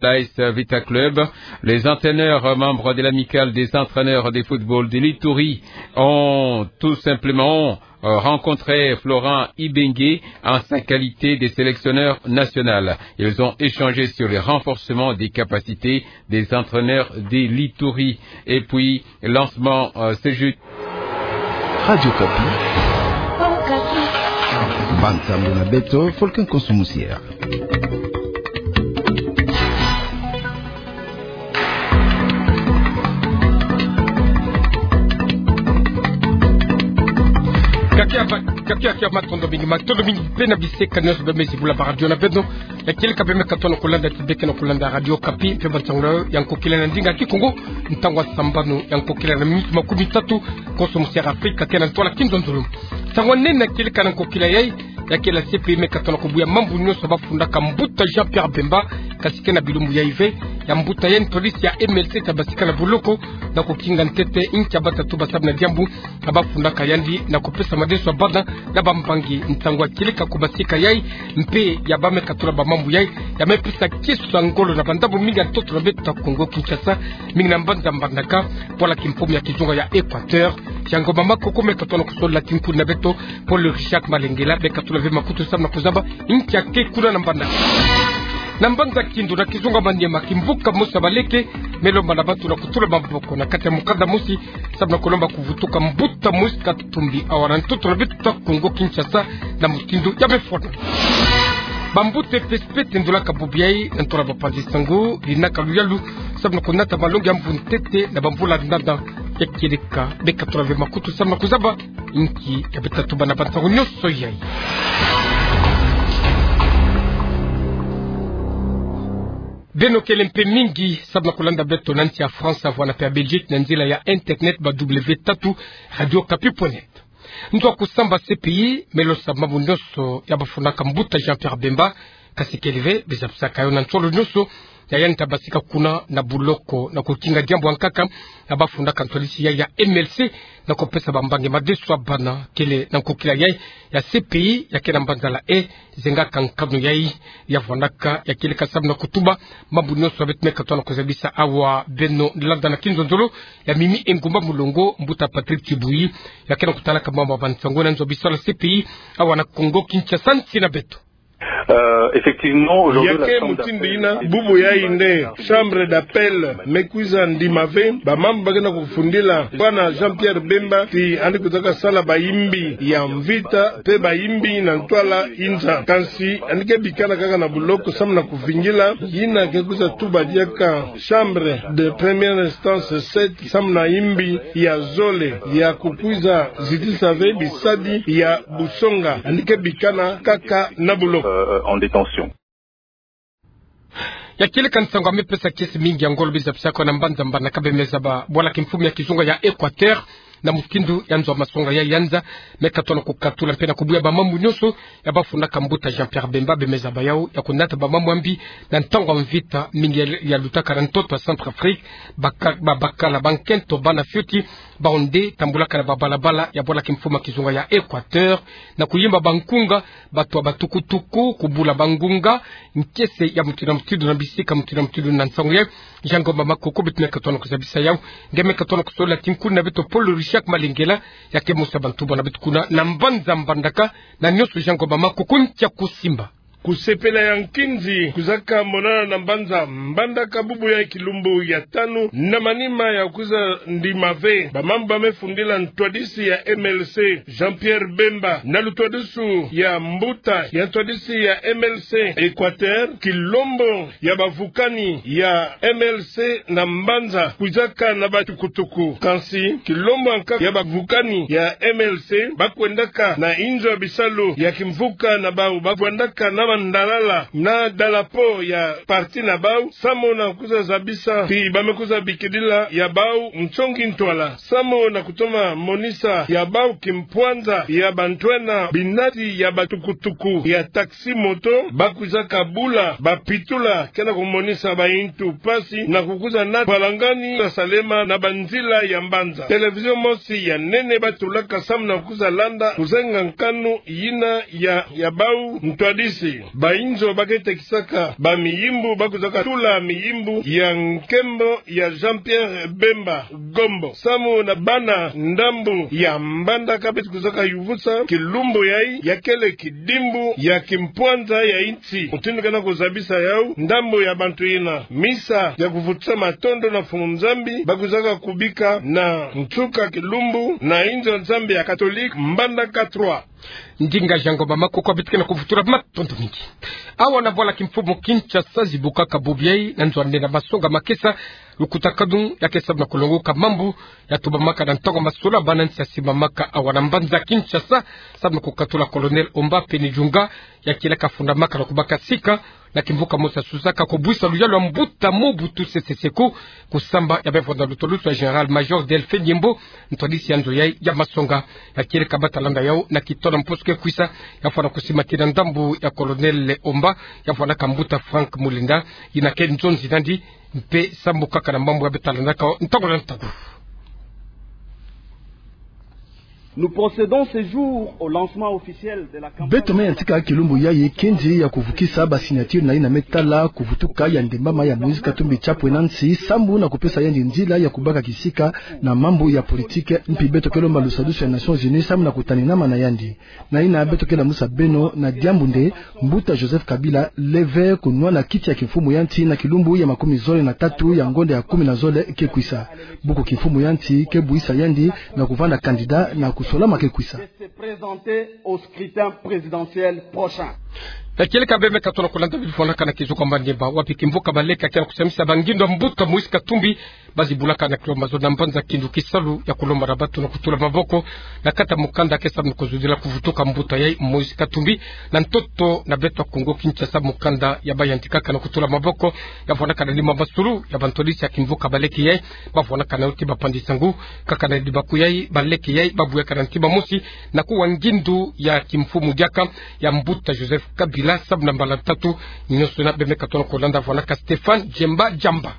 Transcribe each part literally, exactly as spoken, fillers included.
l'A S Vita Club. Les entraîneurs, euh, membres de l'amicale des entraîneurs de football de l'Ituri ont tout simplement, euh, rencontré Florent Ibenge en sa qualité de sélectionneur national. Ils ont échangé sur le renforcement des capacités des entraîneurs de l'Ituri. Et puis, lancement, euh, ce jeudi. Radio Okapi. Bantu na beto, Volcan Konso Musière. Kakia ba-, kakia, kia, matondo mingi, matondo mingi mpe na bisekani nyonso bima bula ba radio na beno. Ya kieleka bima katuka na kulanda ti beke na kulanda Radio Okapi, mpe ba nsangu ya nkokila na ndinga Kikongo, ntangu ya sambanu ya nkokila na miniti makumitatu, Konso Musière Afrika ke na ntwala kinzonzolo. Nsangu ya nene ya kieleka na nkokila yai, ya ke la C P I me katuka na kubuya mambu nyonso bafundaka mbuta Jean-Pierre Bemba, kasi ke na bilumbu yai ve, ya mbuta yandi ntwadisi ya M L C ta basika na boloko, na kukinga ntete inki ya batatu ba samu na diambu, ya bafundaka yandi na kupesa madeso ya bana na bampangi. Ntangu ya kieleka kubasika yai, mpe ya ba me katula ba mambu yai, ya me pesa kisu ya ngolo na bandambu mingi ya ntoto na beto ta Kongo Kinshasa, mingi na mbanza Mbandaka, bwala kimfumu ya kizunga ya Equateur. Jean Ngoma Makoko me katuka na kusola tinkuni na beto, Paul Richard Malengela, me katula ve makutu samu na kuzaba inki ya ke kuna na Mbandaka. Na mbanza Kindu na kizunga Maniema, kimvuka mosi ya baleke me lomba na bantu na kutula maboko na kati ya mukanda mosi, samu na kulomba kuvutuka mbuta Moïse Katumbi awa na ntoto na beto ta Kongo Kinshasa na mutindu ya befwana. Bambuta E P S P tendulaka bubu yai na ntoto na bapanzi-nsangu, linaka luyalu samu na kunata malongi ya mvu ntete na bamvula ndanda. Ya kieleka, me katula ve makutu samu na kuzaba inki ya beta tuba na bansangu nyonso yai. Beno kele mpe mingi samu na kulanda beto na nsi ya France, vwanda mpe ya Belgique na nzila ya internet, ba W tatu radio okapi point net. Nzo ya kusamba C P I me losa mambu nyonso ya bafundaka mbuta Jean-Pierre Bemba, kasi kele ve, bizabisaka yo na nsolo nyonso ya yandi ta basika kuna na boloko na kukinga diambu ya nkaka ya bafundaka ntwadisi yai ya M L C, na kupesa bampangi madeso ya bana. Kele na nkokila yai ya C P I ya ke na mbanza La Haye, zengaka nkanu yai, ya vwandaka ya kieleka samu na kutuba mambu nyonso ya beto me katuka na kuzabisa awa. Beno landa na kinzonzolo ya Mimi Engumba Mulongo, mbuta Patrick Tchibouyi ya ke na kutalaka mambu ya bansangu na nzo ya bisalu ya C P I awa na Kongo Kinshasa, nsi na beto. Euh, effectivement, aujourd'hui, ya ke la chambre mutindu d'appel yina, bubu yai nde chambre d'appel me kwiza ndima ve bamambu ba ke na kufundila bwana Jean-Pierre Bemba ti yandi kwizaka sala bayimbi ya mvita mpe bayimbi na ntwala inza. Kansi yandi ke bikana kaka na boloko samu na kuvingila yina ke kwiza tuba diaka chambre de première instance sept, samu na yimbi ya zole ya kukwiza zitisa ve bisadi ya busonga. Yandi ke bikana kaka na boloko. Euh, euh, en détention. Ya kieleka nsangu ya me pesa kiese mingi ya ngolo, bizabisaka yo na mbanza Mbandaka, bima zaba bwala kimfumu ya kizunga ya Equateur, na mutindu ya nzo ya masonga ya yanza me katuka na kukatula mpe na kubuya bamambu nyonso ya bafundaka mbuta Jean-Pierre Bemba, bima zaba yau ya kunata bamambu ya mbi na ntangu ya mvita mingi ya, ya lutaka na ntoto ya Centrafrique. Baka-, ba-, bakala, bankento, bana fioti, bawu nde tambulaka na babalabala ya bwala kimfumu ya kizunga ya Equateur, na kuyimba bankunga, batua batukutuku, kubula bangunga, nkiese ya mutindu na mutindu na bisika mutindu na mutindu. Na nsangu yai, Jean Ngoma Makoko, beto me katuka na kuzabisa yau. Nge me katuka na kusola tinkuni na beto Paul Richard Malengela, ya ke mosi ya bantu bana beto kuna na mbanza Mbandaka, na nyonso Jean Ngoma Makoko ntia kusimba. Kusepela ya nkinzi kwizaka monana na mbanza Mbandaka bubu ya kilumbu ya tanu, na manima ya kwiza ndima ve bamambu ba me fundila ntwadisi ya M L C Jean-Pierre Bemba, na lutwadisu ya mbuta ya ntwadisi ya M L C Equateur, kilombo ya bavukani ya M L C na mbanza kwizaka na batukutuku. Kansi kilombo ya nkaka ya bavukani ya M L C ba kwendaka na inzo ya bisalu ya kimvuka na bawu, ba kwendaka na mandalala na dalapo ya parti na bawu, samu na kwiza zabisa ti ba me kwiza bikidila ya bawu nsongi ntwala, samu na kutoma monisa ya bawu kimpwanza ya bantwenya binati ya batukutuku ya taxi moto, ba kwizaka bula bapitula ke na kumonisa bayintu mpasi na kukwiza na mpalangani ya salema na banzila ya mbanza. Télévision mosi ya nene ba tulaka samu na kwiza landa kuzenga nkanu yina ya, ya bawu ntwadisi. Bainzo ba ke tekisaka bamiyimbu ba kwizaka tula miyimbu ya nkembo ya Jean-Pierre Bemba Gombo, samu na bana ndambu ya Mbandaka beto kwizaka yuvusa kilumbu yayi ya kele kidimbu ya kimpwanza ya insi. Mutindu ke na kuzabisa yawu, ndambu ya bantu yina, misa ya kuvutisa matondo na Mfumu Nzambi ba kwizaka kubika na nsuka kilumbu na inzo ya Nzambi ya Katolike Mbandaka trois. Ndinga Jean Ngomba Makoko beto ke na kuvutula matondo mingi. Awa na bwala kimfumu Kinshasa zibukaka bubu yayi na nzo ane na masonga makesa, lukutakanu ya ke samu na kulongoka mambu ya tubamaka na ntangu ya masolo, bana nsi ya simamaka awa na mbanza Kinshasa, samu na kukatula Colonel Omba pene Junga, ya kieleka fundamaka na kubaka sika na kimvuka mosi ya susaka kubwisa luyalu ya mbuta Mobutu Sese Seko, kusamba ya bevonda lutwalusu ya Général-Major Delphin Nyembo, ntwadisi ya nzo yayi ya masonga. Ya kieleka bata landa yawu na kitono mposo ke kwisa, ya fwana kusimatina ndambu ya Colonel Omba, ya fwanaka mbuta Franck Mulinda, yina ke nzonzi nandi, mpe sambu kaka na mambu ya beta landaka ntangu na ntangu. Nous procédons ce jour au lancement officiel de la campagne. Beto me yantika kilumbu yayi kenzi ya kuvukisa ba signature na yina me tala kuvutuka ya ndembama ya Moïse Katumbi Chapwe na nsi, samu na kupesa yandi nzila ya kubaka kisika na mambu ya politique, mpi beto ke lomba lusadusu ya Nations Unies samu na kutaninama na yandi. Na yina beto ke lamusa beno na diambu nde, mbuta Joseph Kabila leve kunwana kiti ya kimfumu ya nsi na kilumbu ya makumi zole na tatu ya ngonda ya kumi na zole ke kwisa. Buku kimfumu ya nsi ke buisa yandi na kuvanda candidat na kusolama ke kwisa. De se présenter au scrutin présidentiel prochain. Ya kieleka beno me katona kulanda bifwanaka na kizuka Mbandimba, wapi kimvuka baleke ya ke na kusamisa bangindo ya mbuta Moïse Katumbi, ba zibulaka na kilomba zo na mbanza Kindu kisalu ya kulomba na bato na kutula maboko na kati ya mukanda ke samu na kuzudila kuvutuka mbuta yayi Moïse Katumbi na ntoto na beto ya Kongo Kinshasa. Mukanda ya ba yantikaka na kutula maboko ya fwanaka na lima masulu ya bantwadisi ya kimvuka baleke yayi, ba fwanaka na yo ti bapandi sangu, kaka na libaku yayi baleke yayi ba buyaka na ntima mosi na kuwa ngindu ya kimfumu diaka ya mbuta Joseph Kabila samu na mbala tatu. Nyonso yina beno me katona kulanda fwanaka Stéphane Djemba Djamba.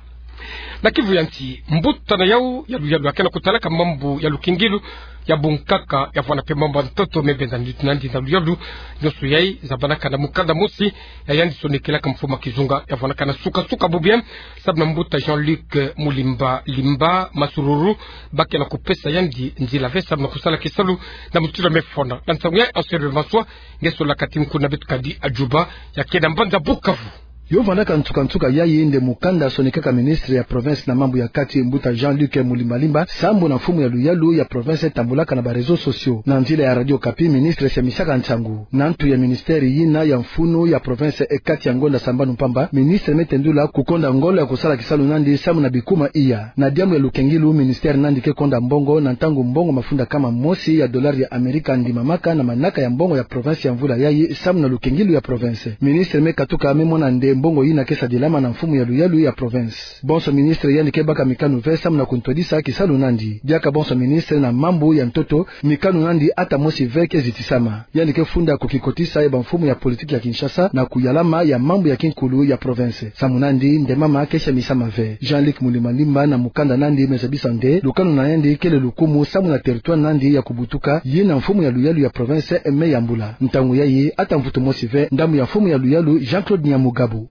Na Kivu ya nsi, mbuta na yawu ya luyalu ya ke na kutalaka mambu ya lukingilu ya bunkaka ya fwana mpe mambu ya ntoto me benda nitu nandi na luyalu. Nyonso yayi zabanaka na mukanda mosi ya yandi sonekelaka mfumu ya kizunga ya fwanaka na suka-suka bubu yayi, samu na mbuta Jean-Luc Mulimba Limba Masururu, ba ke na kupesa yandi nzila ve samu na kusala kisalu na mutindu me fwana. Na nsangu yayi Anselme Maswa, nge sola kati nkuna beto kadi ya Juba, ya ke na mbanza Bukavu. Yo vandaka nsuka-nsuka yayi nde mukanda sonekaka ministre ya province na mambu ya kati, mbuta Jean-Luc Mulimba Limba, sambu na mfumu ya luyalu ya province tambulaka na ba réseaux sociaux. Na nzila ya Radio Okapi, ministre siamisaka nsangu. Na ntu ya ministère yina ya mfunu ya province, e kati ya ngonda sambanu mpamba, ministre me tendula kukonda ngolo ya kusala kisalu nandi samu na bikuma iya. Na diambu ya lukingilu, ministère nandi ke konda mbongo na ntangu mbongo mafunda kama mosi ya dollar ya Amerika ndimamaka na manaka ya mbongo ya province ya mvula yayi samu na lukingilu ya province. Ministre me katuka me mona nde mbongo yina ke sadilama na mfumu ya luyalu ya province. Bonso ministre yandi ke baka mikanu ve samu na kuntwadisa kisalu nandi. Diaka bonso ministre na mambu ya ntoto, mikanu nandi ata mosi ve ke zitisama. Yandi ke funda kukikotisa ya bamfumu ya politique ya Kinshasa na kuyalama ya mambu ya kinkulu ya province. Samu nandi nde mama ke siamisama ve. Jean-Luc Mulimba Limba na mukanda nandi me zabisa nde lukanu na yandi kele lukumu samu na territoire nandi ya kubutuka, yina mfumu ya luyalu ya province me yambula. Ntangu yayi ata mvutu mosi ve ndambu ya mfumu ya luyalu Jean-Claude Nyamugabo.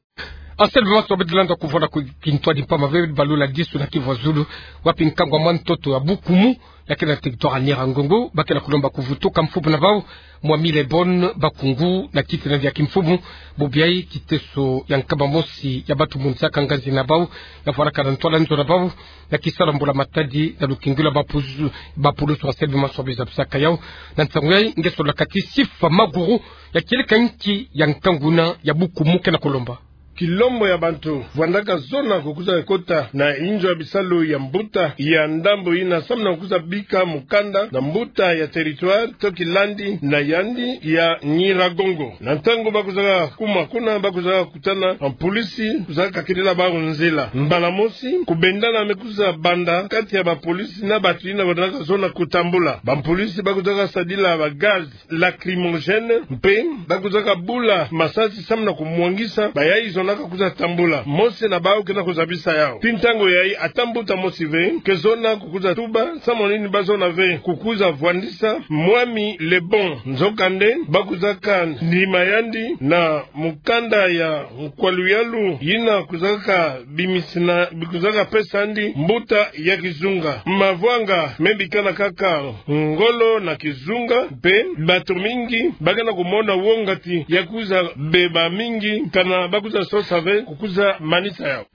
Anselme Maswa, beno landa kuvwanda ku kintwadi mpamba ve balula disu na Kivu ya zulu, wapi nkangu ya mwa ntoto ya Bukumu, ya ke na territoire ya Nyiragongo, ba ke na kulomba kuvutuka mfumu na bawu, Mwami Lebon Bakungu, na kiti nandi ya kimfumu. Bubu yayi kiteso ya nkama mosi ya bato monisaka nganzi na bawu, ya fwanaka na ntwala nzo na bawu, na kisalu ya mbula-matadi na lukingilu ya bapulusu, bapulusu. Anselme Maswa, beno zabisaka yawu. Na nsangu yayi, nge sola kati Sifa Maguru, ya kieleka nki ya nkangu yina ya Bukumu ke na kulomba. Kilombo ya bantu vwandaka zona kukwiza kota na inzo ya bisalu ya mbuta ya ndambu yina samu na kukwiza bika mukanda na mbuta ya territoire to kilandi na yandi ya Nyiragongo. Na ntangu ba kwizaka kuma kuna, ba kwizaka kutana na mpulisi kwizaka kakidila bawu nzila. Mbala mosi, kubendana me kwiza banda kati ya bampulisi na bato yina vwandaka zona kutambula. Bampulisi ba kwizaka sadila ba gaz lacrymogène, mpe ba kwizaka bula masasi samu na kumwangisa bayayi zona kaka kwiza tambula. Mosi na bawu ke na kuzabisa yawu. Tii ntangu yayi ata mbuta mosi ve ke zona kukwiza tuba samu na nini ba zona ve kukwiza vwandisa mwami Lebon. Nzokande ba kwizaka ndima yandi na mukanda ya nkwa luyalu yina kwizaka bimisina, kwizaka pesa yandi mbuta ya kizunga. Mavwanga me bikana kaka ngolo na kizunga, mpe bato mingi ba ke na kumona wongati ya kwiza beba mingi, kana ba kwiza sosa ve kukwiza manisa yawu.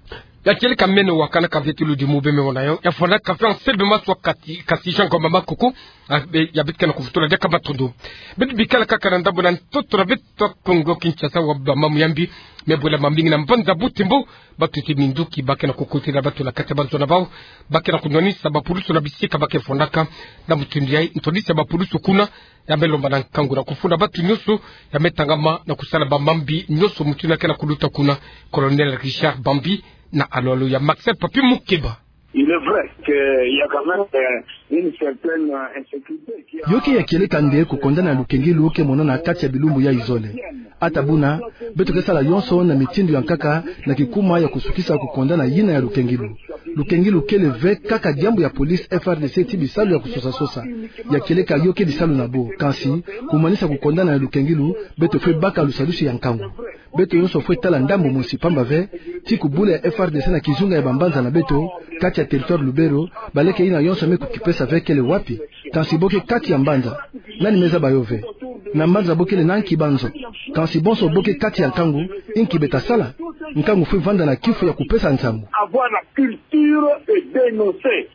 Ya kieleka meno wa kanaka ve ti ludimu bie me mona yawu, ya fwanaka ve nsebe maswa kati, kasi Jean Ngoma Makuku, a, be, ya beti ke na kuvutula diaka matondo. Beto bikala kaka na ndambu na ntoto na beto Kongo Kinshasa wa bamambu ya mbi, me bwela mamingi na mbanza Butembo, bato ti minduki ba ke na kukutila bato na kati ya banzo na bawu, ba ke na kunwanisa bapulusu na bisika ba ke fwanaka. Na mutindu yayi, ntwadisi ya bapulusu kuna ya me lomba na nkangu na kufunda bato nyonso ya me tangama na kusala bamambi nyonso mutindu ya ke na kuluta kuna. Colonel Richard Bambi na alolo ya Maxel Papi Mukeba. Il est vrai qu'il y a quand même, euh, une certaine, euh, insécurité qui a... Yo ke ya kieleka nde kukondana ya lukengilu ke monana kati ya bilumbu ya izole. Ata buna, beto ke sala yonso na mitindu ya nkaka na kikuma ya kusukisa kukondana yina ya lukengilu. Lukengilu kele ve kaka diambu ya police, F R D C ti bisalu ya kusosa-sosa. Ya kieleka yo ke bisalu na bo. Kansi, kumanisa kukondana ya lukengilu, beto fwe baka lusadusu ya nkangu. Beto yonso fwe tala ndambu mosi, pamba ve ti kubula ya F R D C na kizunga ya bambanza na beto, kati ya territoire Lubero, baleke yina yonso me kukipesa ve kele wapi? Kansi bo ke kati ya mbanza, nani me zaba yo ve? Na mbanza bo kele na nki banzo? Kansi bonso bo ke kati ya nkangu, inki beta sala? Nkangu fwe vanda na kifu ya kupesa nsangu. Avoir la culture et dénoncer.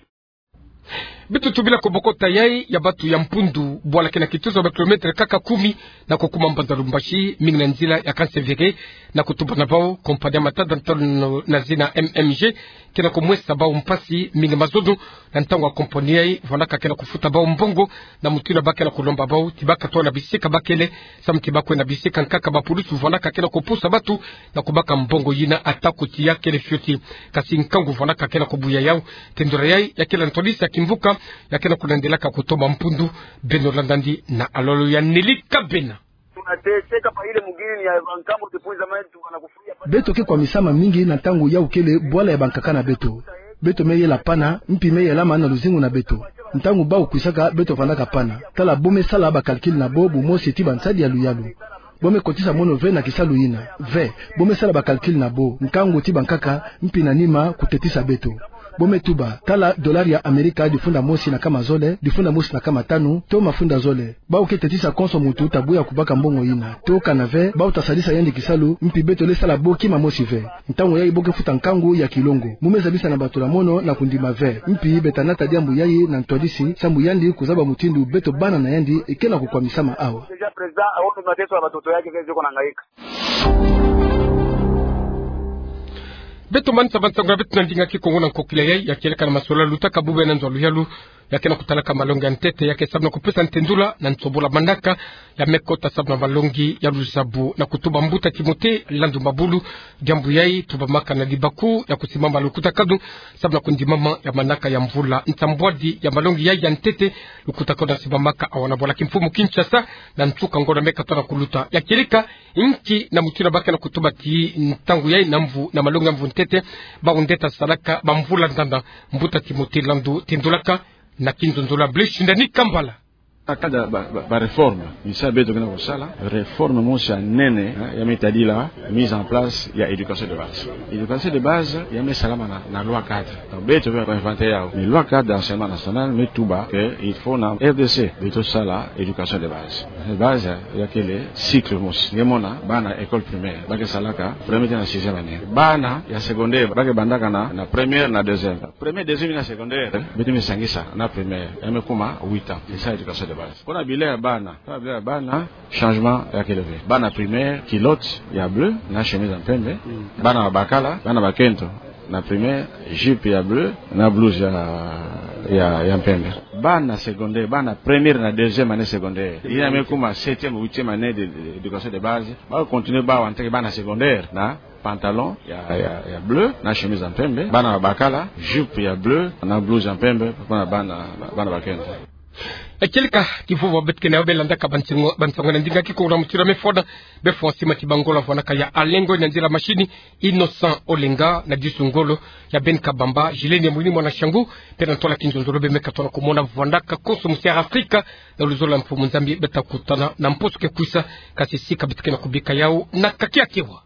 Beto tubila ko bokota yayi ya bato ya Mpundu, bwala ke na kituza ba kilometre kaka kumi na kukuma mbanza Lubumbashi, mingi na nzila ya Kansevere, na kutuba na bawu, kompani ya matata ntalo na zina M M G ke na kumwesa bawu mpasi mingi mazono, na ntangu ya kompani yayi vwandaka ke na kufuta bawu mbongo, na mutindu ba ke na kulomba bawu ti baka tona bisika ba kele, samu ti ba kwe na bisika nkaka bapulusu vwandaka ke na kupusa bato na kubaka mbongo yina ata kuti ya kele fioti. Kansi nkangu vwandaka ke na kubuya yawu. Tendula yayi ya kele ntwadisi ya kimvuka ya ke na kulandelaka kutomba Mpundu. Beno landa yandi na alolo ya Nelly Kabena. Beto ke kwamisama mingi na ntangu yawu kele bwala ya bankaka na beto. Beto me yela pana, mpi me yelama na luzingu na beto. Ntangu bawu kwisaka, beto vandaka pana. Tala bo me sala ba calcul na bo, bumosi ti bansadi ya luyalu. Bo me kotisa mono ve na kisalu yina? Ve. Bo me sala ba calcul na bo, nkangu ti bankaka, mpi na nima kutetisa beto. Bo me tuba, tala dollar ya Amerika difunda mosi na kama zole, difunda mosi na kama tanu, to mafunda zole. Bawu ke tetisa konso muntu tabu ya kubaka mbongo yina. To kana ve, bawu ta sadisa yandi kisalu, mpi beto le sala bo kima mosi ve. Ntangu yayi bo ke futa nkangu ya kilongo. Mu me zabisa na bato na mono na kundima ve. Mpi beta nata diambu yayi na ntwadisi, samu yandi kuzaba mutindu beto bana na yandi ke na kukwamisama awa. Déjà président, awono mateso ya batoto yake ke zeko na ngaika. Beto manisa bansangu na beto na ndinga Kikongo na nkokila yayi, ya kieleka na masolo lutaka bube na nzo ya luyalu, ya ke na kutalaka malongi ya ntete, ya ke samu na kupesa ntendula na nsobola manaka ya me kota samu na malongi ya luzabu, na kutuba mbuta Timothée Landumabulu. Diambu yayi tubamaka na libaku ya kusimama lukutakanu samu na kundimama ya manaka ya mvula. Nsambwadi ya malongi yayi ya ntete, lukutakanu na simbamaka awa na bwala kimfumu Kinshasa, na nsuka ngonda me kata na kuluta. Ya kieleka, inki na mutindu ba ke na kutuba ti ntangu yayi na mvu, na malongi ya mvu ntete, bawu nde ta salaka bamvula ndanda? Mbuta Timothée Landu, tendulaka na kinzonzolo ya Blaise Shindani Kambala. Akada ba, ba, ba réforme, misa beto ke na kusala, réforme mosi ya nene, hein, ya me tadila mise en place ya éducation de base. Éducation de base ya me salama na, na loi cadre. Donc, beto ke inventer yawu. Mais loi cadre d'enseignement national me tuba que il faut na R D C beto sala éducation de base. De base ya kele cycle mosi. Nge mona, bana école primaire, ba ke salaka première tee na sixième année. Bana ya secondaire, ba ke bandaka na, na première na deuxième. Première, deuxième na secondaire, beto me sangisa na primaire, ya me kuma huit ans. C'est ça, éducation de base. Kuna bilan ya bana, kuna bilan ya bana, changement ya kele ve. Bana primaire, culotte ya bleu na chemise ya mpembe. Mm. Bana bakala, bana bakento, na primaire, jupe ya bleu na blouse ya, ya, ya mpembe. Bana secondaire, bana première na deuxième année secondaire, yina me kuma septième, huitième année de, de, d'éducation de base, ba continuer bawu en tant que bana secondaire na pantalon ya, ya, ya bleu na chemise ya mpembe. Bana bakala, jupe ya bleu na blouse ya mpembe, kuna bana, bana bakento. Kieleka kivova beto kena yo, be landaka bansango, bansango na ndinga kikongo na mutira mefona. Be fwa sima ti bangolo avwanaka ya Alengo, na nzila mashini Innocent Olenga, na disu ngolo ya Ben Kabamba, Gilene Mwini mwana Shangu, pia na ntwala kinzonzolo be meka tona kumona vwanaka konso musi ya Afrika. Na luzolo ya Mfumu Nzambi beta kutana na mposo ke kwisa, kasi sika beto kena kubika yau na kakiakewa.